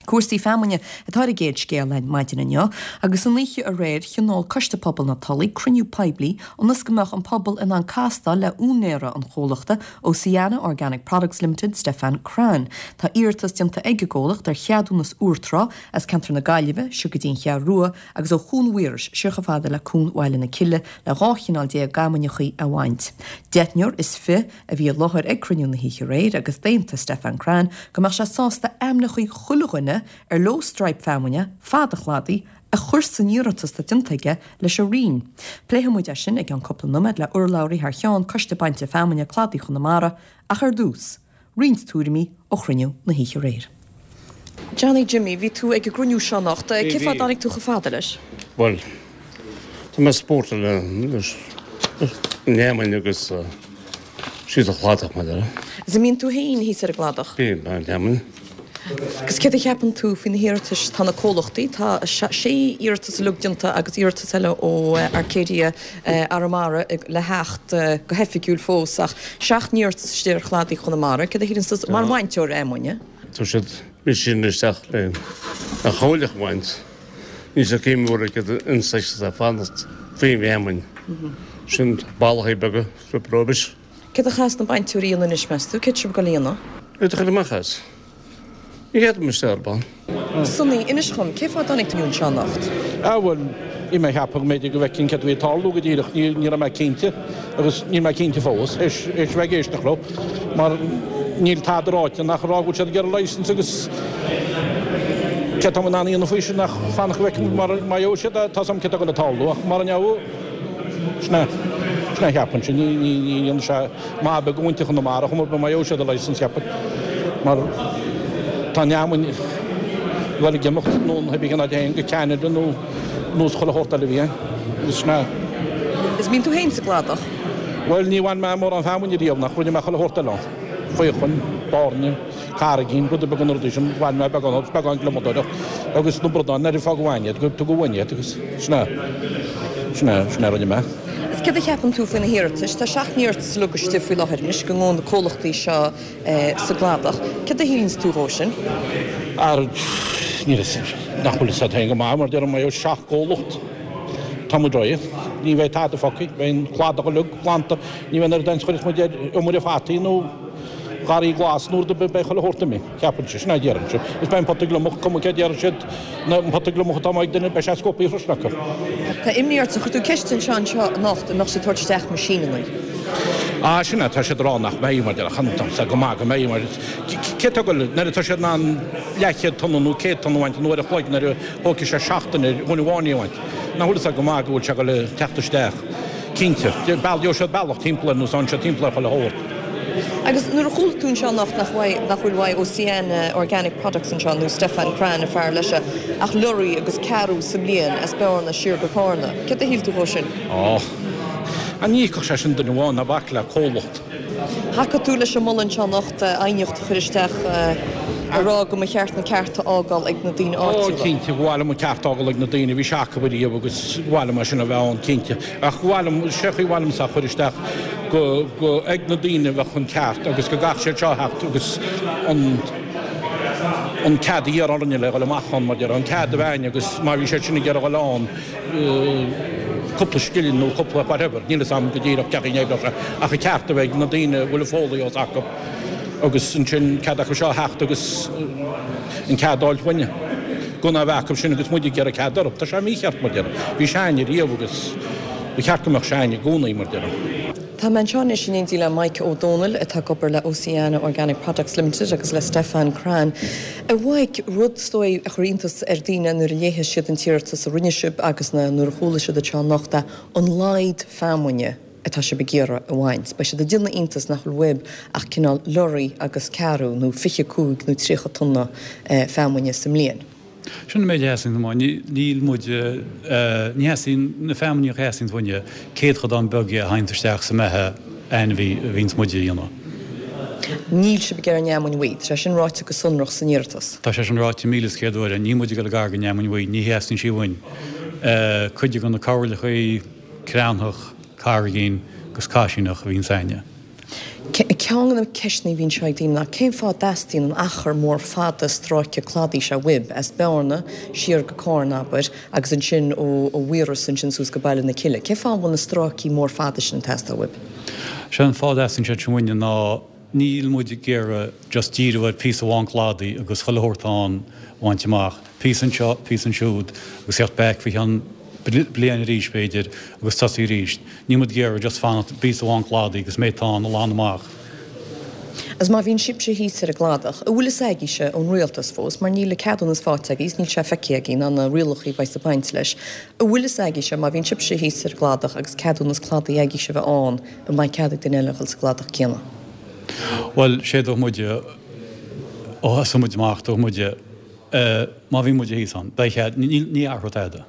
Cúrsaí feamainne atá ar an gcéad scéal againn maidin inniu agus an oíche aréir thionóil Coiste Pobail na Tulaí cruinniú poiblí ionas go mbeadh an pobal in ann castáil le úinéara an chomhlachta Oceana Organic Products Limited, Stefan Crann. Tá iarratas déanta ag an gcomhlacht ar cheadúnas úr trá as ceantar na Gaillimhe siar go dtí an Cheathrú Rua agus ó Chuan Mhaorais siar chomh fada le Cuan Bhaile na Cille le 12 chineál feamainneachaí a bhaint. Deichniúr is fi a bhí i láthair ag cruinniú na hoíche aréir agus d'aontaigh Stefan Crann go mbeadh sé sásta ainmneachaí chuile dhuine ar leo straidhp feamainne fad an chladaigh a chur san iarratas atá déanta aige leis an Roinn. Pléifidh muid é sin i gceann cúpla noiméad le urlabhraí thar cheann Coiste Bainte Feamainne Cladaí Chonamara ach ar dtús, roinnt tuairimí ó chruinniú na hoíche aréir. Johnny Jimmy, bhí tú ag an gcruinniú seo anocht. Cén fáth a dtáinig tú chomh fada leis? Bhuel, tá mé spórtúil leis an fheamainn agus síos an chladach, mar a déarfá. Is an mbíonn tú féin thíos ar an gcladach? Bím, ag baint fheamainne. Agus céard a cheapann tú faoi na hiarratais? Tá na comhlachtaí, tá sé iarratas uilig déanta agus iarratas eile ó Arcadia Arramara le theacht go hoifigiúil fós ach seacht n-iarratas istigh ar chladaí Chonamara. Céard a shíleann tú mar bhainteoir fheamainne? Tá siad sin isteach le an choileach a bhaint. Níl sé céim mhór ag an saghas atá fanacht faoin bhfeamainn. Sin ballachaí beaga, roimis. Céard a chaithfeas na bainteoirí a dhéanamh anois, meas tú? Céard sibh ag dul a dhéanamh? Iad a chur amach as. Ní fhéadfaidh isteach ar ball. Sonny, inis dhom, cén fáth a dtáinig tú anseo anocht? Ah bhuel, bhí mé ag ceapadh go mb'fhéidir go bhfeicfinn céard a bhí ag tarlú go díreach, ní raibh mé cinnte agus níl mé cinnte fós, théis a bheith ag éisteacht leo, mar níl tada ráite ach ag rá go bhfuil siad ag iarraidh licence agus céard tá mé in ann a dhéanamh faoi sin ach fanacht go bhfeicfidh muid mar má gheobhaidh siad é, tá 's agam céard atá ag dul a tarlú ach mara ngeobhaidh, sin é, sin é a cheapfainnse, ní, ní, ní dhéanfaidh sé maith beag do mhuintir Chonamara chomh mór má gheobhaidh siad an licence cheapfainn mar tá an fheamainn ag dul ag imeacht nó pé bith cén áit a théann go Ceanada nó nós chuile shórt eile a bhí ann agus sin é. Is mbíonn tú féin sa gcladach? Bhuel ní bhain mé mórán feamainne riamh ach rinne mé chuile shórt eile ann. Faochain, bairnigh, carraigín, rudaí beaga na rudaí sin, bhain mé beagán agus beagán gliomadóireacht agus na bradáin ar fág uainn iad, go tugadh uainn iad agus sin é, sin é, sin é a rinne mé. Is céard a cheapann tú faoi na hiarratais? Tá seacht n-iarratas uilig istigh faoi láthair anois go ngabhann na comhlachtaí seo sa gcladach. Céard a shíleanns tú dhó sin? Ar, níl fhios, nach bhfuil fhios agat féin go maith, mar deirim, mbeidh seacht gcomhlacht, tá muid réidh, ní bheidh tada fágtha, beidh an cladach uilig glanta, ní bheidh an oiread aon chuirfeas muid ar iomaire fataí nó garraí glas nó rud ar bith, beidh chuile shórt imithe. Ceapainnse, sin é a déarfainnse. Is beidh an pota gliomach, cuma cé a déarfaidh siad, an pota gliomach atá amuigh ag duine, beidh sé scuabtha freisin acu. Tá imní ort, chuir tú ceist anseo anseo anocht an mbeadh siad ag tabhairt isteach meaisíneanna? Ah, sin é, tá siad ag rá nach mbeidh, mar deir, chan, tá go maith go mbeidh, mar cé atá ag dul, nuair atá siad in ann leathchéad tonna nó 100 tonna a bhaint in uair a chloig nuair a thógfaidh sé seachtain ar dhuine amháin é a bhaint. Nach bhfuil fhios agat go maith go bhfuil sé ag dul teacht isteach. Cinnte. Gheobhaidh siad bealach timpeall air nó sánn siad timpeall ar chuile shórt. Agus nuair a chuala tú anseo anocht nach bhfuil nach bhfuil uaidh Oceana Organic Products anseo nó Stefan Crann an fear leis ach lorry agus ceathrú sa mbliain as Bearna siar go Cárna, céard a shíl tú dhó sin? Á, ní íocfadh sé sin duine amháin, ná bac le comhlacht. Thacaigh tú leis an moladh anseo anocht aighneacht a chur isteach ag rá go mba cheart na cearta a fhágáil ag na daoine áitiúla. Ó, cinnte, ba mhaith liom an ceart a fhágáil ag na daoine, bhí sé acu ariamh agus ba mhaith liom é sin a bheith ann, cinnte. Ach ba mhaith liom, sé chaoi mhaith liomsa a chur isteach go, go, ag na daoine a bheadh an ceart agus go gcaithfeadh siad seo a theacht agus an, an cead a iarraidh orainne le dhul amach ann, mar déarfá, an cead a bheith againn agus má bhí siad sin ag iarraidh dhul ann, cúpla scilling nó cúpla whatever, níl fhios a'm go díreach cén chaoi a n-oibreodh sé, ach an ceart a bheith ag na daoine a bhfuil an fólaí os acu agus ansin cead acu seo a theacht agus an cead a fháilt uainne. Gan a bheith acu sin agus muid ag iarraidh cead orthu. Tá sé mícheart mar déarfá. Bhí sé a'inn ariamh agus ba cheart go mbeadh sé a'inn i gcónaí mar déarfá. Tá mé anseo anois in éindí le Mike Ó Dónaill atá ag obair le Oceana Organic Products Limited agus le Stefan Crann. A Mhaidhc, rud is dóigh a chuir iontas ar daoine nuair a léigh siad an t-iarratas a rinne sibh agus nuair a chuala siad anseo anocht é an laghad feamainne atá sibh ag iarraidh a bhaint. Beidh siad ag déanamh iontas nach bhfuil uaibh ach cineál lorry agus ceathrú nó 25 nó 30 tonna feamainne sa mbliain. Sin an méid a theastaíonn uainn. Níl muid, ní theastaíonn, na feamainní a theastaíonn uainne, céadchodán beag dhe a théanns isteach sa mbeatha ainmhí a bhíonns muid a dhéanamh. Níl sibh ag iarraidh an fheamainn bhuí. Tá sé sin ráite go sonrach san iarratas. Tá sé sin ráite 1,100 uair. Níl muid ag dul gar don fheamainn bhuí. Ní theastaíonn sí uainn. Cuid de na coirleachaí, creamthach, carraigín agus caisíneach a bhíonns a'inne. Ceann de na ceisteanna a bhíonn seo ag daoine ná cén fáth a dteastaíonn an achar mór fada stráice cladaigh seo uaibh, as Bearna siar go Carna, abair, agus ansin ó Mhaoras ansin suas go Baile na Cille. Cén fáth a bhfuil na stráicí mór fada sin ag teastáil uaibh? Sé an fáth a dteastaíonn siad sin uainne ná níl muid ag iarraidh just díriú ar phíosa amháin cladaigh agus chuile shórt ann a bhaint amach. Píosa anseo, píosa ansiúd agus theacht back faoi cheann bliain arís b'fhéidir agus tosaí arís. Níl muid ag iarraidh just fanacht píosa amháin cladaigh agus méid atá ann a ghlanadh amach. Agus má bhíonn sibhse thíos ar an gcladach, an bhfuil fhios agaibhse ón rialtas fós, mar níl an ceadúnas faighte agaibh is níl sé feicthe agaibh ná na rialacha a bheas ag baint leis, an bhfuil fhios agaibhse má bhíonn sibhse thíos ar an gcladach agus ceadúnas cladaigh agaibhse a bheith ann, an mbeidh cead ag duine eile a dhul sa gcladach céanna? Bhuel, sé dúirt muide, ó thosaigh muid amach, dúirt muide, má bhíonn muide thíos ann, beidh cead, ní athróidh tada.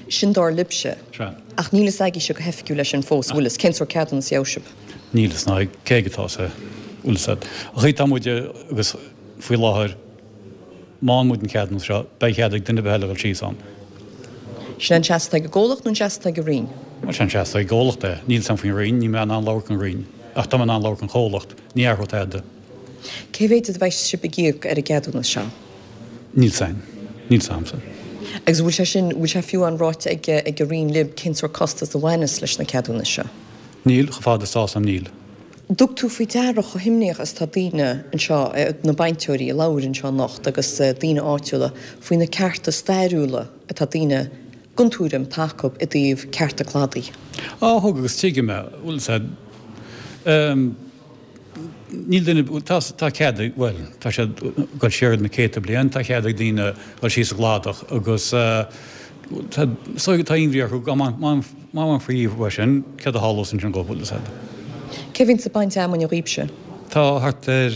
Sin dar libhse. Sea. Ach níl fhios agaibhse go hoifigiúil leis sin fós, an bhfuil fhios? Cén sórt ceadúnas a gheobhaidh sibh? Níl fhios ná ag cé aige atá sé, bhfuil fhios a'd. An chaoi atá muide agus faoi láthair, má fhaigheann muid an ceadúnas seo, beidh cead ag duine ar bith eile a dhul síos ann. Sin an seasamh atá ag an gcomhlacht nó an seasamh atá ag an Roinn? Bhuel, sin an seasamh atá ag an gcomhlacht é. Níl fhios a'm faoin Roinn, níl mé in ann labhairt don Roinn. Ach tá mé in ann labhairt don chomhlacht. Ní athróidh tada. Cé mhéid a bheidh sibh ag íoc ar an gceadúnas seo? Níl 'fhios a'inn. Níl 'fhios a'msa. Agus an bhfuil sé sin, bhfuil sé fiú amháin ráite ag ag an Roinn libh cén sórt costas a bhaineas leis na ceadúnais seo? Níl, chomh fada is tá 'fhios a'm níl. Dtug tú faoi deara chomh himníoch is atá daoine anseo, na bainteoirí a labhair anseo anocht agus daoine áitiúla, faoi na cearta stairiúla atá daoine den tuairim atá acu i dtaobh cearta cladaigh? Á, thug agus tuigim é. Bhfuil 'fhios a'd. Níl duine, tá, tá cead ag, bhuel, tá sé ag dul siar na céadta bliain, tá cead ag daoine dul síos sa gcladach agus tá, so tá imní orthu go má, má, má bhainfí uaidh sin, céard a tharlós ansin dhóibh, bhfuil 'fhios a'd. Cé a bhíonns ag baint fheamainne dhaoibhse? Tá thart ar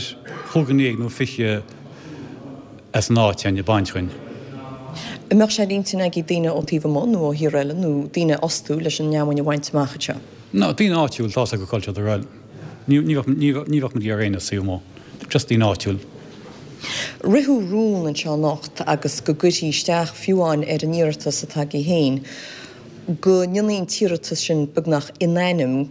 chúig dhuine dhéag nó 20 as an áit againn ag baint dhúinn. An mbeadh sé ar intinn agaibh daoine ó taobh amuigh nó ó thír eile nó daoine a fhostú leis an fheamainn a bhaint amach anseo? No, daoine áitiúil, tá's acu cá bhfuil siad ag goil. Ní bheadh ní bheadh muid ag iarraidh éinne as taobh amuigh. Just daoine áitiúil. Ritheadh rún anseo anocht agus go gcuirfí isteach, fiú amháin ar an iarratas atá agaibh féin, go ndéanfaí an t-iarratas sin beagnach in ainm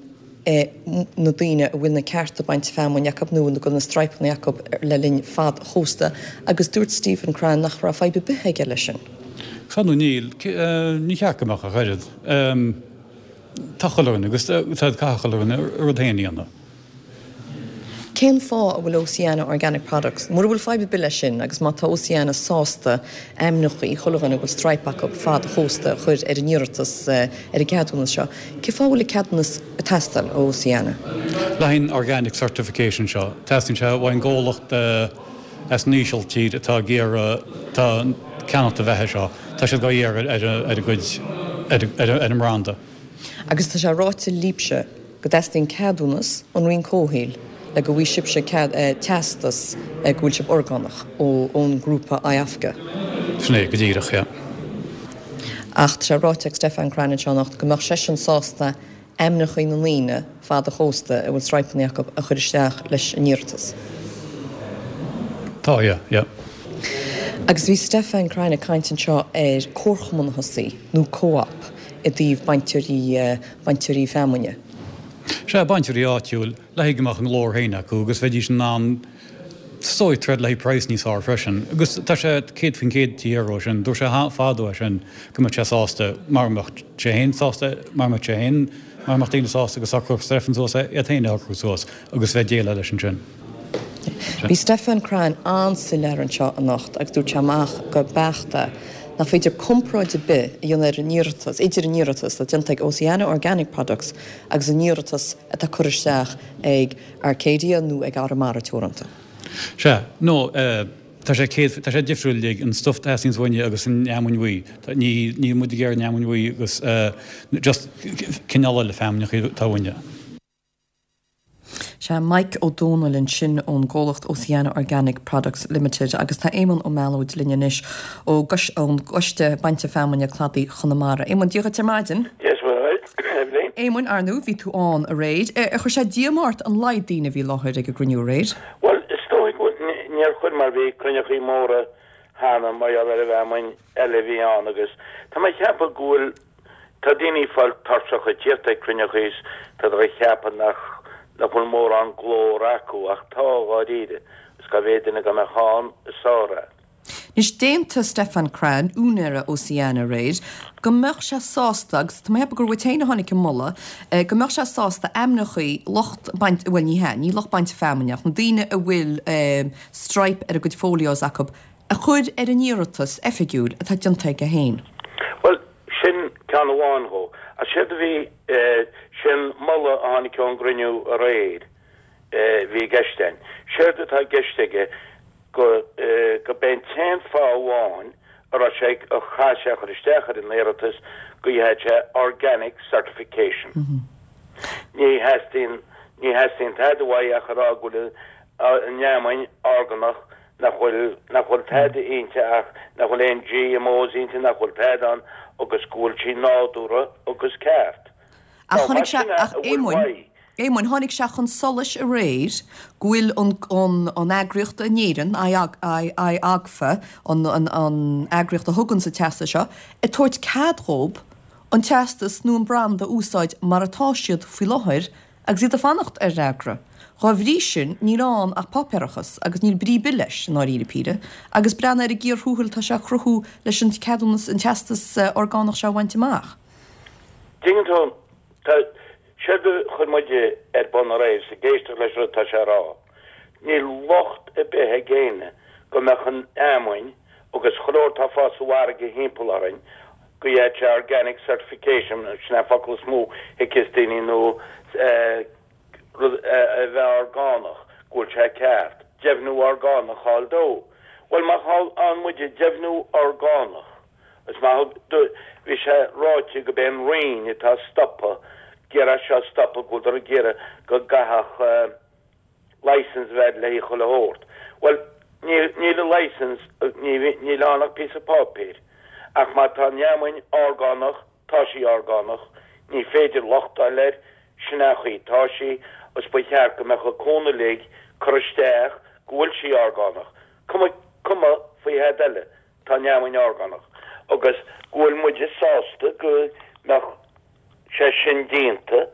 na daoine a bhfuil na cearta bainte feamainne acu nó go bhfuil na straidhpeanna acu le linn fad an chósta agus dúirt Stephen Crean nach raibh fadhb ar bith aige leis sin. Sea nó níl, ní cheart go mbeadh ach oiread. Tá chuile dhuine agus tá caithfidh chuile dhuine a rud féin a dhéanamh. Cén fáth a bhfuil Oceana Organic Products, mura bhfuil fadhb ar bith leis sin agus má tá Oceana sásta ainmneacha chuile dhuine a bhfuil straidhp acu fad an chósta a chur ar an iarratas ar an gceadúnas seo, cén fáth a bhfuil an ceadúnas ag teastáil ó Oceana? Le haghaidh an Organic Certification seo, teastaíonn sé uaidh an gcomhlacht as an Ísiltír atá ag iarraidh, atá ag ceannacht an bheatha seo, tá siad dhá iarraidh ar a gcuid, ar an mbranda. Agus tá sé ráite libhse go dteastaíonn ceadúnas ón Roinn Comhshaoil le go bhfaighidh sibhse teastas go bhfuil sibh orgánach ón ngrúpa IAFCA. Sin é go díreach, yeah. Ach tá sé ráite ag Stefan Crean anseo anocht go mbeadh seisean sásta ainmneacha na ndaoine fad an chósta a bhfuil straidhpeanna acu a chur isteach leis an iarratas. Tá, yeah, yeah. Agus bhí Stefan Crean ag caint anseo ar comharchumann a thosaí, nó co-op, i dtaobh bainteoirí, bainteoirí feamainne. Sea, bainteoirí áitiúil, le haghaidh go mbeadh a nglór féin acu agus bheidís in ann is dóigh troid le haghaidh praghas níos fearr freisin. Agus tá sé 100% tí iarraidh sin, dúirt sé fadó é sin go mbeadh sé sásta, mara mbeadh sé féin sásta, mara mbeadh sé féin, mara mbeadh daoine sásta go socródh Stefan suas é, iad féin a shocrú suas agus bheith déileáil leis ansin. Bhí Stefan Crean an-soiléir anseo anocht agus dúirt sé amach go beacht é nach féidir comparáid ar bith a dhéanamh ar an iarratas, idir an iarratas atá déanta ag Oceana Organic Products agus an iarratas atá curtha isteach ag Arcadia nó ag Arramara Teoranta. Sea, nó tá sé céad, tá sé difriúil uilig, an stuif a theastaíonns uainne agus an fheamainn bhuí. Ní, níl muid ag iarraidh an fheamainn bhuí agus just cineál eile feamainne atá uainne. Sea, Mike Ó Dónaill ansin ón gcomhlacht Oceana Organic Products Limited agus tá Éamonn Ó Meallóid linn anois ó ón gCoiste Bainte Feamainne Cladaigh Chonamara. Éamonn, Dia dhuit ar maidin. Dia is Muire dhuit, Eibhlín. Éamoinn, ar ndóigh, bhí tú ann aréir. Ar chuir sé díomá ort an laghad daoine a bhí i láthair ag an gcruinniú aréir? Bhuel, is dóigh go níor chuir mar bhí cruinneachaí móra cheana mar gheall ar an bhfeamainn eile a bhí ann agus tá mé ag ceapadh go bhfuil Tá daoine ag fáil tuirseach ag tíocht ag cruinneachaí is tá siad ag ceapadh nach. nach bhfuil mórán glór acu ach tá, dháiríre, is cá mhéad duine dá mbeadh ann is fearr é. Anois, d'aontaigh Stefan Crann, úinéara Oceana aréir, go mbeadh sé sásta, agus tá mé ag ceapadh gur uait féin a tháinig an moladh, go mbeadh sé sásta ainmneachaí lucht bainte, bhuel ní hea, ní lucht bainte feamainne ach na daoine a bhfuil stripe ar a gcuid folios acu, a chur ar an iarratas oifigiúil atá déanta aige féin. Bhuel, sin ceann amháin dhó. Ach séard a bhí, sin moladh a tháinig ón gcruinniú aréir a bhí i gceist againn. Séard atá i gceist aige, go go b'é an t-aon fáth amháin a raibh sé a chaith sé a chur isteach ar an iarratas go bhfaigheadh sé organic certification. Ní theastaíonn ní theastaíonn tada uaidh ach a rá go bhfuil an fheamainn orgánach nach bhfuil nach bhfuil tada inti ach nach bhfuil aon GMOs inti nach bhfuil tada ann agus go bhfuil sí nádúrtha agus ceart. Ach tháinig sé, ach Éamoinn, Éamoinn, tháinig sé chun solais aréir go bhfuil an, an, an eagraíocht in Éirinn, IAGFA, an, an, an eagraíocht a thuganns an teastas seo, ag tabhairt cead dhób an teastas nó an branda a úsáid mar atá siad faoi láthair agus iad ag fanacht ar fhreagra. Dhá bhrí sin, níl ann ach páipéarachas agus níl brí ar bith leis, i ndáiríre píre, agus breathnaigh ar an gcíor thuathail atá sé a chruthú leis an ceadúnas, an teastas orgánach seo a bhaint amach. Tuigeann tú, tá, séard a chuir muid ar bun aréir is ag éisteacht leis an rud atá sé a rá, níl locht ar bith ag éinne go mbeadh an fheamainn agus chuile shórt atá ag fás sa bhfarraige thimpeall orainn, go bhfaigheadh sé organic certification, sin é an focal is mó a thuigfeas daoine nó eh rud a bheith orgánach, go bhfuil sé ceart, deimhniú orgánach a fháil dó. Bhuel má fhaigheann muide deimhniú orgánach, Is maith do bhí sé ráite go b'é an Roinn atá ag stopadh, ag iarraidh seo a stopadh, go bhfuileadar ag iarraidh go gcaithfeadh license a bheith le haghaidh chuile shórt. Bhuel, níl, níl an license, ní, níl ann ach píosa páipéir. Ach má tá an fheamainn orgánach, tá sí orgánach, ní féidir locht a fháil air, sin é an chaoi atá sí, agus ba cheart go mbeadh an cúnamh uilig curtha isteach go bhfuil sí orgánach. Cuma, cuma faoi thada eile. Tá an fheamainn orgánach agus go bhfuil muide sásta go mbeadh sé sin déanta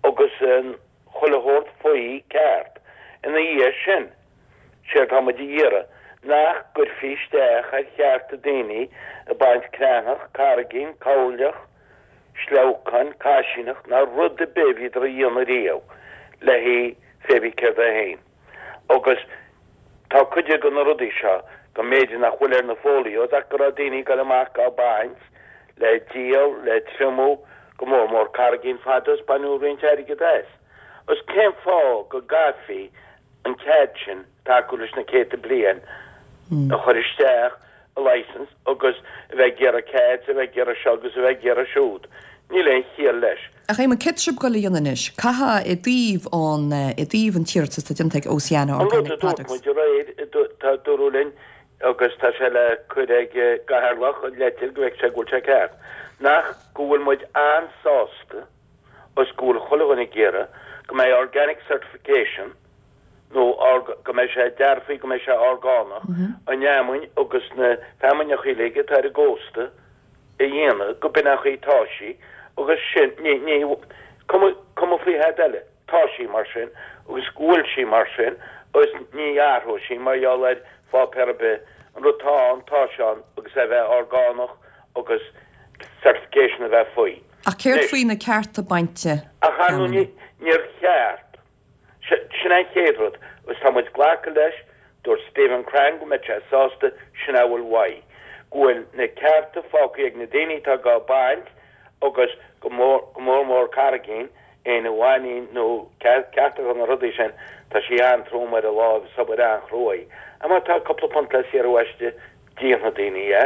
agus an chuile shórt faoi ceart. Ina dhiaidh sin, séard tá muid a iarraidh, nach gcuirfí isteach ar chearta daoine ag baint creathnach, carraigín, coirleach, sleabhcáin, caisíneach ná rud ar bith a bhíodar a dhéanamh riamh le haghaidh fé bith céard é féin. Agus tá cuid de na rudaí seo go mb'fhéidir nach bhfuil ar na folios ach go raibh daoine ag dul amach á baint le díol, le triomú, go mór mór carraigín fada is baineadh roinnt airgid as. Agus cén fáth go gcaithfí an cead sin atá acu leis na céadta bliain a chur isteach license agus a bheith ag iarraidh cead 's a bheith ag iarraidh seo agus a bheith ag iarraidh siúd. Níl aon chiall leis. Ach Éamonn, céard tá sibh ag dul a dhéanamh anois? Caithfidh i dtaobh an, i dtaobh an t-iarratas atá déanta ag Oceana An rud a Organic dúirt Products. muid aréir, tá dúradh linn agus tá sé le cur ag an gCathaoirleach an leitir go bhfeicfidh sé go bhfuil sé ceart, nach go bhfuil muid an-sásta is go bhfuil chuile dhuine ag iarraidh go mbeidh organic certification nó go mbeidh sé dearfaí go mbeidh sé orgánach, an fheamainn agus na feamainneacha uilig atá ar an gcósta a dhéanamh go b'in an chaoi atá sí agus sin, ní, ní, cuma, cuma faoi thada eile, tá sí mar sin agus go bhfuil sí mar sin agus ní athróidh sí mar gheall ar pháipéar ar bith, an rud atá ann, tá sé ann agus é a bheith orgánach agus certification a bheith faoi. Ach céard faoi na cearta bainte Ach ar ndóigh níor cheart. Sin é an chéad rud agus tá muid glactha leis, dúirt Stephen Crann go mbeadh sé sásta, sin é a bhfuil uaidh, go bhfuil na cearta fágtha ag na daoine atá dhá baint agus go mór, go mór mór carraigín, éinne a bhaineann nó cearta na rudaí sin, tá sí an-trom ar an láimh is obair an-chruaidh. Ach má tá cúpla punt le saothrú aisti, déanfaidh daoine é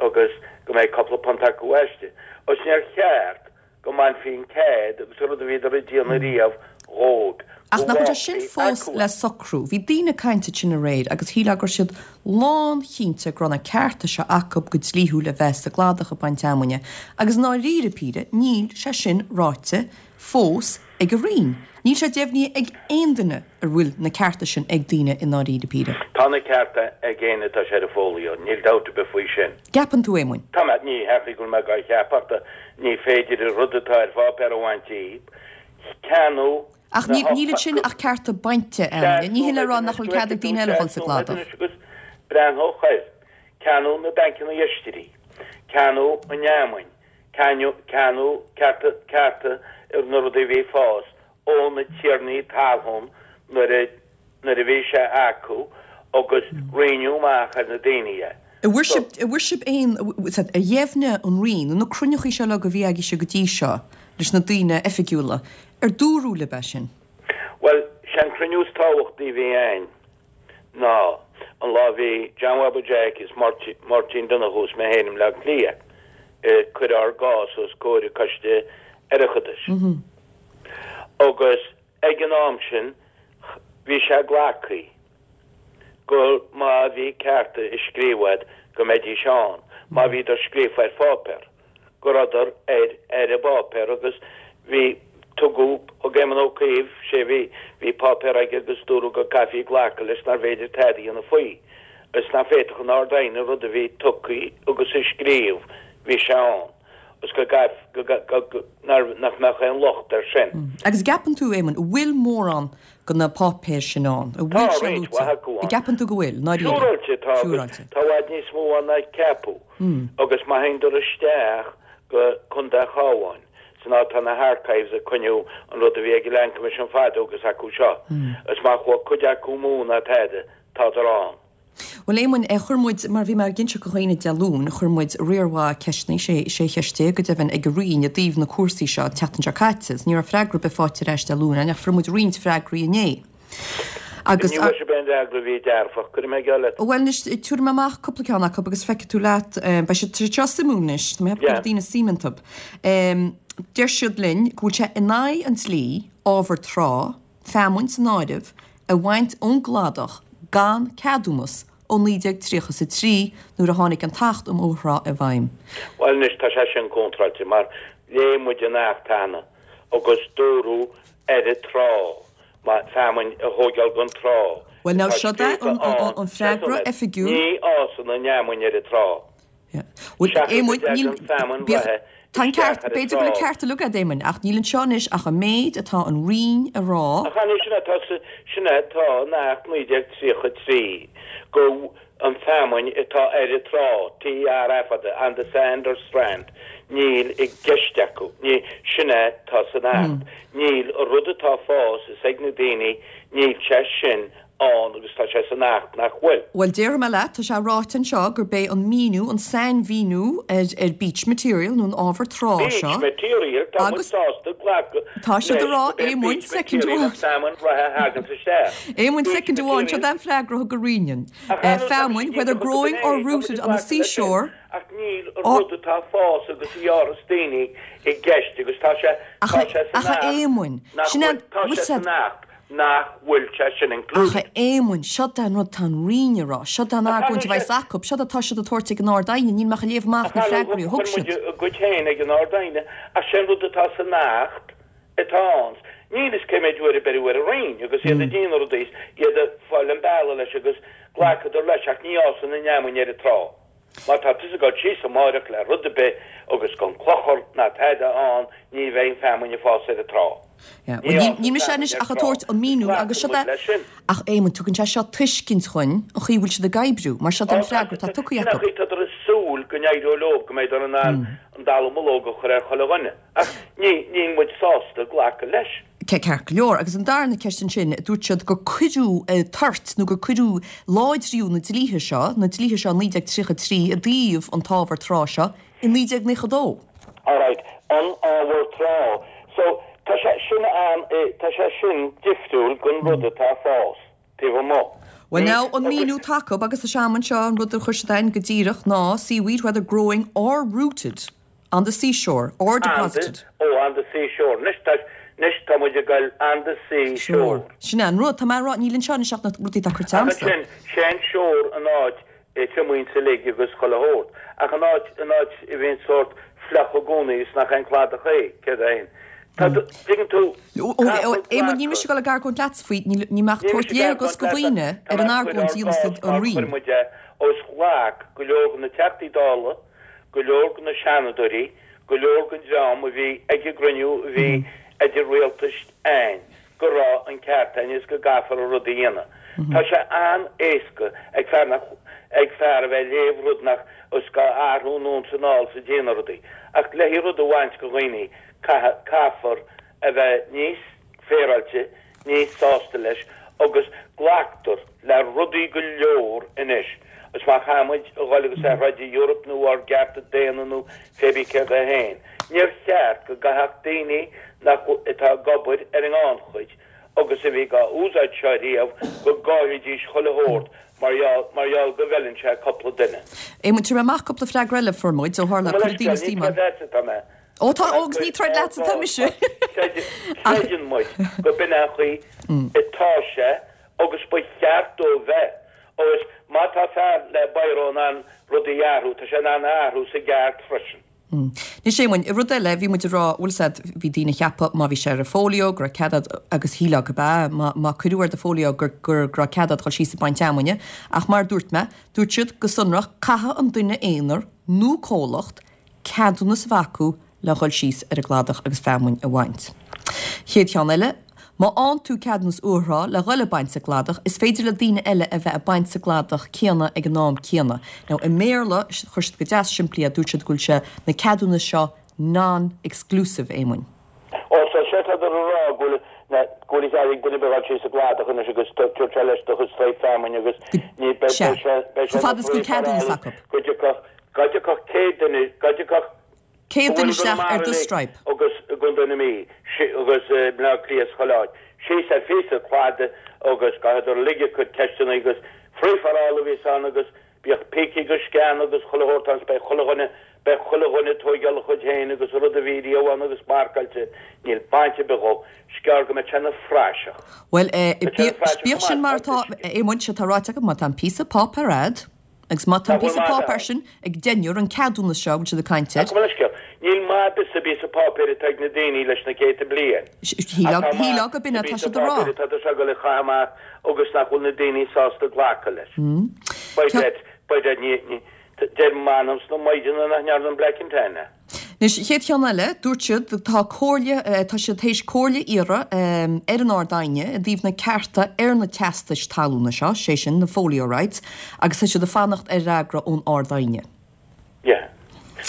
agus go mbeidh cúpla punt acu aisti. Agus níor cheart go mbainfí an cead agus an rud a bhíodar ag déanamh riamh dhóibh, Ach go nach bhfuil sé sin bhfágfaí fós acu le é. socrú? Bhí daoine ag caint ansin aréir agus shílfeá go raibh siad lánchinnte go raibh na cearta seo acu go dlíthiúil a bheith sa gcladach ag baint fheamainne agus i ndáiríre píre níl sé sin ráite fós ag an Roinn. Níl sé deimhnithe ag aon duine. An bhfuil na cearta sin ag daoine i ndáiríre píre? Tá na cearta ag éinne atá sé ar an folio, níl dabht ar bith faoi sin. Gceapann tú, Éamoinn? Tá mé, ní hea go bhfuil mé dhá cheapadh, ach ní féidir an rud atá ar pháipéar a bhaint díobh. Ceannú. Ach níl ansin ach cearta bainte feamainne. Ní hin le rá nach bhfuil cead ag daoine eile dhul sa gcladach. Agus breathnódh air, ceannú na bpancanna oistéirí, ceannú an fheamainn, ceannú cearta cearta ar na rudaí a bhí ag fás ó na tiarnaí talún nuair a nuair a bhí sé acu agus roinneadh amach ar na daoine é. An bhfuair sibh, an bhfuair sibh aon, ar dheimhnigh an Roinn, nó na cruinneachaí seo uilig a bhí agaibhse go dtí seo leis na daoine oifigiúla, ar dúradh libh é sin? Bhuel, sé an cruinniú is tábhachtaí a bhí a'ainn ná an lá a bhí John Bhaba Jeaic is Máirtín Donoghue is mé féin i mBleá Cliath ag cur ár gcás os comhair an Coiste Oireachtais. Agus Ag an am sin bhí sé glactha go má bhí cearta i scríobh a'd go mbeidís ann, má bhíodar scríofa ar pháipéar, go rabhadar ar ar an bpáipéar agus bhí, tugadh, thug Éamon Ó Cuív, sé bhí, bhí páipéar aige agus dúradh go gcaithfí glacadh leis nárbh fhéidir tada a dhéanamh faoi is nach bhféadfadh an Ard-Aighne rud a bhí tugtha agus i scríobh, bhí sé ann. Is go gcaithfí, nach mbeadh aon locht air sin. Agus an gceapann tú, Éamonn, an bhfuil mórán de na páipéir sin ann? An Tá bhfuil sé roinnt luaite? mhaith acu An ann. gceapann tú go bhfuil, ndáiríre? Siúráilte tá agus Siúráilte. tá i bhfad níos mó ann ná ceapadh. Agus má théann isteach go Contae an Chabháin, san áit tá na harchives ag coinniú an rud a bhí ag an Land Commission fadó agus acu seo, is má chuaigh cuid acu amú ná tada, tádar ann. Bhuel, Éamoinn, chuir muid, mar bhí mé ag inseacht do dhaoine Dé Luain, chuir muid riar mhaith ceisteanna, sé cheist go deimhin, ag an Roinn i dtaobh na cúrsaí seo an tseachtain seo caite agus ní raibh freagra ar bith faighte ar ais Dé Luain ach fuair muid roinnt freagraí inné. Agus. Ní bhfuair sibh aon fhreagra a bhí dearfach, cuirfidh mé geall leat. Bhuel anois, tabharfaidh mé amach cúpla ceann acu agus feicfidh tú leat, beidh siad seo suimiúil anois, tá mé ag ceapadh go bhfuil daoine suim iontu. Deir siad linn go bhfuil sé in aghaidh an dlí ábhar trá, feamainn san áireamh, a bhaint ón gcladach gan ceadúnas ó 1933 nuair a tháinig an tAcht um Ábhar Trá i bhfeidhm. Bhuel anois tá sé sin contráilte mar léigh muid an Acht cheana agus dúradh ar an trá, má feamainn a thóigeáil gon trá Bhuel now atá seo é scríofa ann, an freagra oifigiúil. Ní fhásann an fheamainn ar an trá. Bhuel, Seachas go Éamoinn, níl, dtagann feamainn bíodh, reatha tá an isteach ceart, ar an b'fhéidir go bhfuil an trá. ceart uilig agat, Éamoinn, ach níl anseo anois ach an méid atá an Roinn a rá. Ach an é sin atá sa, sin é atá in Acht 1933, go an feamainn atá ar an trá, T-R-A fada, on the sand or strand, níl i gceist acu, ní, sin é atá san Acht. Níl, an rud atá ag fás is ag na daoine, níl sé sin ann agus tá sé san Acht nach bhfuil. Bhuel, déarfaidh mé leat, tá sé ráite anseo gurb é an míniú, an sainmhíniú ar ar beach material nó an ábhar trá Beach seo material, tá muid agus sásta glacadh tá siad leis ag rá, gurb é Éamoinn, beach soicind material an amháin. feamainn reatha a thaganns isteach. Éamoinn, Beach soicind amháin, material. seo é an freagra a thug an Roinn dúinn. Ach ar ndóigh, tá Feamainn, muid whether díreach go growing or tá muid rooted ag on the glacadh leis sin. seashore, Ach níl an or rud atá ag fás agus a ghearras daoine i gceist agus tá sé, Ach tá a, sé san ach a Acht Éamoinn, nach sin é bhfuil, an, tá bhfuil sé said, san Acht nach bhfuil sé sin Ach a included. Éamoinn, seo é an rud tá an Roinn a rá, seo é an Ach argóint a bheas acu, seo atá siad ag tabhairt ag an Ard-Aighne, níl mé ach ag léamh amach Ach na ar ndóigh, freagraí a thug chuir siad. muid a gcuid féin ag an Ard-Aighne, ach sé an rud atá san Acht atá ann. Níl fhios cé méid uair a beireadh ar an Roinn agus iad ag déanamh rudaí is iad ag fáil an bealaigh leis agus ghlacadar leis ach ní fhásann an fheamainn ar an trá. Má tá tusa ag dul síos amáireach le rud ar bith agus gan clochar ná tada ann ní bheidh an feamainn ag fás ar an trá. Yeah. Ní Bhuel, fhásann níl mise feamainn anois ar ach ag trá. tabhairt an míniú agus Glacann seo muid é leis sin. ach Éamonn, tugann sé seo tuiscint dhuinn an chaoi a bhfuil siad ag oibriú, mar seo é Ó, an tá freagra atá siad, tugtha sin an acu. chaoi tádar ag súil go n-éireoidh leo, go mbeidh in ann an dallamullóg a chur ar chuile dhuine. Ach ní, níl muid sásta glacadh leis. Ceart go leor. Agus an darna ceist ansin, dúirt siad gur cuireadh toirt nó gur cuireadh láidriú na dlíthe seo, na dlíthe seo 1933 i dtaobh an t-ábhar trá seo i 1992. Alright, an ábhar trá. So, tá sé sin an, tá sé sin difriúil gon rud atá ag fás taobh amuigh. Well Ní, now, an agus. míniú atá acu, agus tá sé agam anseo, an rud a chuir siad againn go díreach ná seaweed whether growing or rooted. On the seashore, or On the, deposited. oh, on the seashore. Anois tá, anois tá muid ag goil on the seashore. Sin é an rud. Tá mé ag rá, níl anseo anois ach na rudaí atá curtha Ach agamsa. ansin, sé an shore an áit a triomaíonn sa lig agus chuile shórt. Ach an áit, an áit a bhíonn sórt fliuch i gcónaí is nach aon cladach é, céard é fhéin. Tá, tuigeann tú, Ó, caithfear Éamonn, níl mise ag dul ag argóint leatsa faoi, níl, níl mé ach Níl tabhairt mise ag léargas argóint go leatsa, dhaoine tá ar mé an ag cur argóint a ár dhéanas gcás an mar Roinn. chuir muid é, os ghlac go leor de na Teachtaí Dála, go leor de na Seanadóirí, go leor den dream a bhí ag an gcruinniú a bhí idir rialtais ann, go. go raibh an ceart againn is go gcaithfear an rud a dhéanamh. Tá sé an-éasca ag fear nach, ag fear a bheith ag léamh rud nach, is gá athrú anonn 's anall 's ag déanamh rudaí. Ach le rud a bhaint go dhaoine, caithfidh, caithfear a bheith níos féaráilte, níos sásta leis agus glactar le rudaí go leor anois is má chaithfidh muid a dhul agus a throid i Europe nó ár gcearta daonna nó pé bí céard é féin, níor cheart go gcaithfeadh daoine nach atá ag obair ar an ngannchuid agus a bhí dhá úsáid seo riamh go gcaillfidís chuile shórt mar gheall mar gheall go bhfeileann sé cupla duine. Éamonn, tabharfaidh mé amach cúpla freagra eile a fuair muid ó tharla cuireadh daoine suim ann. Ní atá mé. Ó tá, ó agus ní troid leatsa atá mise. Creideann muid go b'in an chaoi atá sé agus ba cheart dó bheith. Agus má tá fear le biro in ann rudaí a athrú, tá sé in ann a athrú sa gceart freisin. Anois Éamoinn, rud eile, bhí muid ag rá, bhfuil 'fhios a'd, bhí daoine ag ceapadh má bhí sé ar an folio go raibh cead a'd agus shílfeá go b'ea, má, má cuireadh ar do folio gur, gur, go raibh cead a'd dhul síos ag baint fheamainne. Ach mar a dúirt mé, dúirt siad go sonrach, caithfidh an duine aonair nó comhlacht ceadúnas a bheith acu le dhul síos ar an gcladach agus feamainn a bhaint. Chéad cheann eile, má fhaigheann tú ceadúnas uathráth le dhul ag baint sa gcladach, is féidir le daoine eile a bheith ag baint sa gcladach céanna ag an am céanna. Now i mBéarla, chuir siad go deas simplí é, dúirt siad go bhfuil sé, na ceadúnais seo non-exclusive, Éamoinn. Ó, so sé tá tú a rá go bhfuil na, go bhfuil a chead ag duine ar bith dhul síos sa gcladach anois agus tabhairt sé leis do chuid straidhp feamainne agus ní, beidh, Sea. beidh sé, beidh sé Chomh ina fada is go bhfuil free for ceadúnas all acu. go dtiocfadh, go dtiocfadh 100 duine, go dtiocfadh 100 duine isteach ar do straidhp. agus i gContae na Mí, agus i mBleá Cliath is chuile áit, síos ar phíosa cladaigh agus caithfeadar uilig a gcuid ceisteanna agus free for all a bhíos ann agus Bíodh pící agus sceana agus chuile shórt ann 's beidh chuile dhuine, beidh chuile dhuine ag tóigeáil a chuid féin agus an rud a bhí riamh ann agus marcáilte, níl baint ar bith dhó. 'S gearr go mbeidh sé ina phraiseach. Bhuel, eh, Beidh sé ina phraiseach bíodh chomh sin maith, mar atá, tá a Éamoinn, sé atá ráite agam, má tá an píosa páipéar a'd, agus má tá an Nach bhfuil píosa maith páipéar ann. sin ag deichniúr, an ceadúnas seo a bhfuil siad ag caint air. Ach go bhfuil an scéal. Níl maith ar bith sa bpíosa páipéir atá ag na daoine leis na céadta bliain. Shílfeá, Ach tá maith shílfeá go b'in sa atá bpíosa siad a rá. páipéir atá tú ag dul a chaitheamh amach agus nach bhfuil na daoine sásta glacadh leis. By dad, by dad, ní, ní, deir m'anam sna maighdeana nach ndearna an Black and Tan é. Anois, an chéad cheann eile, dúirt siad, tá comhairle, tá siad théis comhairle a iarraidh ar an Ard-Aighne i dtaobh na cearta ar na teastais talúna seo, sé sin, na folio rights, agus tá siad ag fanacht ar fhreagra ón Ard-Aighne. Yeah.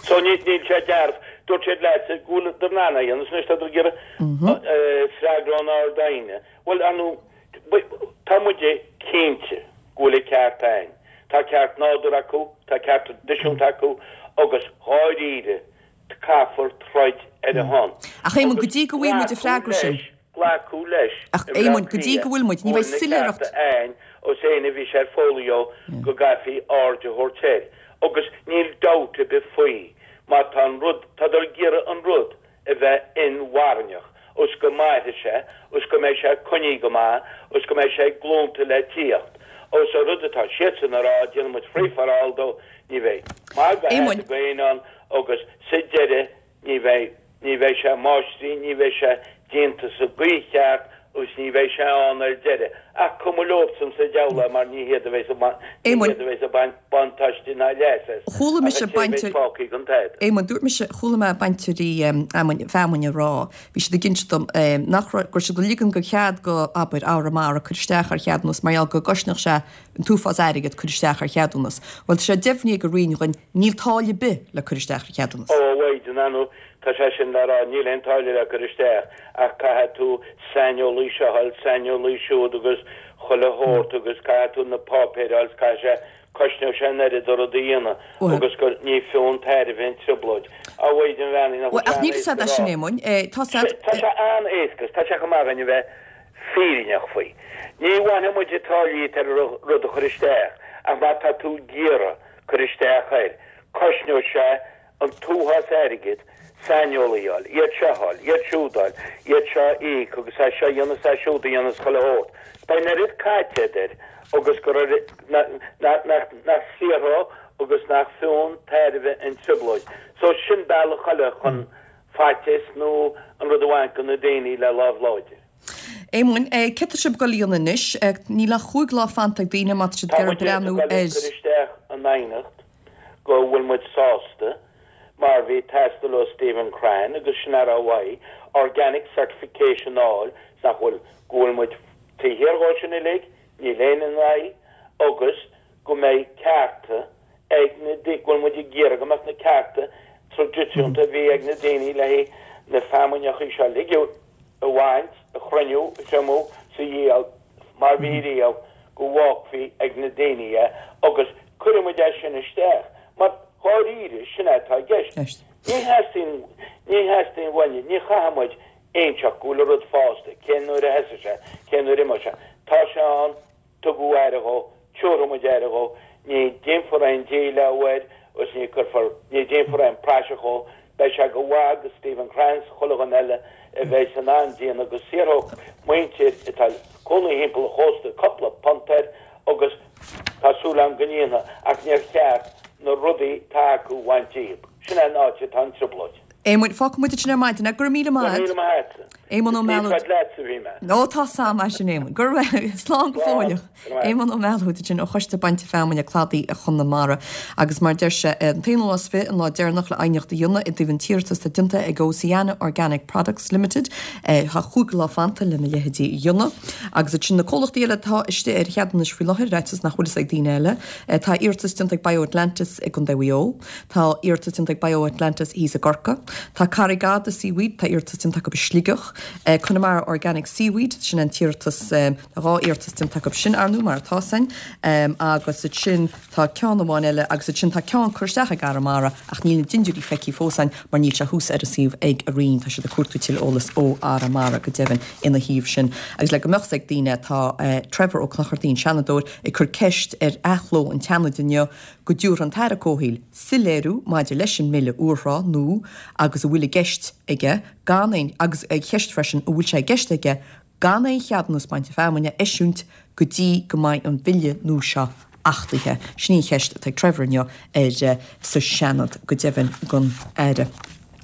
So ní, níl sé dearbh. Dúirt siad leat go bhfuil in ann é a dhéanamh, anois tá ag iarraidh freagra ón Ard-Aighne. Bhuel, ar ndóigh, Tá muide cinnte go bhfuil an ceart a'ainn. Tá ceart nádúrtha acu, tá ceart traidisiúnta acu agus dháiríre caithfear troid ar a shon. Ach Éamonn, go dtí go bhfaighidh muid an freagra sin. Glacadh leis Ach i mBleá Éamonn, go dtí Cliath go bhfuil muid, ní go bheidh bhfuil na soiléireacht. cearta a'ainn os éinne a bhí sé ar folio go gcaithfí aird a thabhairt air. Agus níl dabht ar bith faoi, má tá an rud, tádar ag iarraidh an rud a bheith inmharthanach, os go mairfidh sé, os go mbeidh sé coinnithe go maith, os go mbeidh sé ag glúnta le tíocht. Os an rud atá siadsan a rá, déanfaidh muid free for all dó, ní bheidh magadh Éamoinn. ag éinne ann agus sa deireadh ní bheidh, ní bheidh sé máistrithe, ní bheidh sé déanta sa gcaoi cheart agus ní bheidh sé ann ar deireadh. Ach cuma leobsan sa deabhal é mar ní hiad a bheas ag baint, ní Éamoinn. hiad a bheas ag baint buntáiste ná leas as, Chuala ach mise an té a bheidh bainteoir, fágtha gan tada. Éamoinn, dúirt mise, chuala mé bainteoirí fheamainn, feamainne ag rá, bhí siad ag inse dom, nach raibh, go raibh siad ag ligean go chead go, abair, Arramara cur isteach ar cheadúnas mar gheall go gcosnódh sé an t-uafás airgead cur isteach ar cheadúnas. Bhuel, tá sé deimhnithe ag an Roinn dhuinn, níl táille ar bith le cur isteach ar cheadúnas. Ó, a Mhaighdean, ar ndóigh, tá sé sin le rá, níl aon táille le cur isteach ach caithfidh tú saineolaí seo a fháil, saineolaí siúd agus chuile shórt agus caithfidh tú na páipéir a fháil 's caithfidh sé, cosnóidh sé an oiread an rud a dhéanamh agus gur ní fiú an tairbhe an trioblóid. A Mhaighdean bheannaithe, nach Bhuel, bhfuil ach sé níl fhios an-éasca a'd é a rá. sin, Éamoinn. Tá 's a'd. Tá sé an-éasca, 's tá sé chomh maith againn a bheith fírinneach faoi. Ní bhainfidh muid táillí ar rud a chur isteach ach má tá tú ag iarraidh cur isteach air, cosnóidh sé an t-uafás airgid saineolaí a fháil, iad seo a fháil, iad siúd a fháil, iad seo a íoc agus é seo a dhéanamh is é siúd a dhéanamh is chuile shórt. Beidh an oiread caite agat air agus gur nach saothróidh agus nach fiú an tairbhe an trioblóid. So sin bealach eile chun faitíos nó an rud a bhaint de na daoine le lámh láidir. Éamoinn, céard tá sibh ag dul a dhéanamh anois? Níl ach chúig lá fanta ag daoine má tá siad Tá ag iarraidh muid ag breathnú dul ag ar. cur isteach an aighneacht go bhfuil muid sásta. mar bhí ag teastáil ó Stephen Crean agus sin a raibh uaidh, organic certification a fháil, 's nach bhfuil, go bhfuil muid taobh thiar dhó sin uilig, níl éinne ina aghaidh, agus go mbeidh cearta ag na, go bhfuil muid ag iarraidh go mbeadh na cearta traidisiúnta a bhí ag na daoine le haghaidh na feamainneacha seo uilig a bhaint, a chruinniú, a thriomú 's a dhíol mar bhí riamh, go bhfágfaí ag na daoine é agus cuirfidh muid é sin isteach mar dháiríre sin é atá i gceist. Ní theastaíonn, ní theastaíonn uainne, ní chaithfidh muid inseacht go bhfuil an rud fásta, cén uair a sheasfaidh sé, cén uair a imeoidh sé. Tá sé ann, tugadh aire dhó, tiúrfaidh muid aire dhó, ní déanfar aon díleá air agus ní cuirfear, ní déanfar aon praiseach dhó, beidh sé go mhaith do Stephen Crean 's chuile dhuine eile a bheidh in ann déanamh go saothródh muintir atá cónaí thimpeall an chósta cupla punt air agus tá súil agam go ndéanfaidh ach níor cheart na rudaí atá acu a bhaint díobh. Sin é an áit atá an trioblóid. Éamoinn, fágfaidh muid ansin ar maidin é. Go raibh míle maith a't. Go raibh míle maith a'tsa. Éamonn Ó Mealóid. Is leatsa a bhí mé. Ó tá sam mar sin Éamonn. Go raibh, slán go fóilleach. Éamonn Ó Mealóid ansin ó Choiste Bainte Feamainne Cladaí Chonamara. Agus mar deir sé, an t-aonú lá is fiche, an lá deireanach le aighneacht a dhéanamh i dtaobh an t-iarratas atá déanta ag Oceana Organic Products Limited. Tá chúig lá fanta lena leithéidí a dhéanamh. Agus ansin na comhlachtaí eile atá istigh ar cheadúnais faoi láthair, ar fhaitíos nach bhfuil fhios ag daoine eile. Tá iarratas déanta ag BioAtlantis i gContae Mhaigh Eo. Tá iarratas déanta ag BioAtlantis thíos i gCorcaigh. Tá Carraig Fhada Seaweed, tá iarratas déanta acu i Sligeach. Connemara Organic Seaweed, sin an t-iarratas, tá dhá iarratas déanta acu sin, ar ndú, mar atá san. Agus ansin tá ceann amháin eile agus ansin tá ceann curtha isteach ag Arramara ach níl na dindiúirí feicthe fós a'inn mar níl sé thuas ar an suíomh ag an Roinn. Tá siad ag cuartú tuilleadh eolas ó Arramara go deimhin ina thaobh sin. Agus le go mbeadh 's ag daoine, tá Trevor Ó Clochartaigh, an Seanadóir, ag cur ceist ar athló an tSeanaid inniu go dtabharfaidh an tAire Comhshaoil soiléiriú maidir leis an mBille úrthrá nua agus a bhfuil i gceist aige gan aon agus ag ceist freisin an bhfuil sé i gceist aige gan aon cheadúnas bainte feamainne a eisiúint go dtí go mbeidh an Bille nua seo achtaithe. Sin í an cheist atá ag Trevor inniu ar sa Seanad go deimhin don Aire.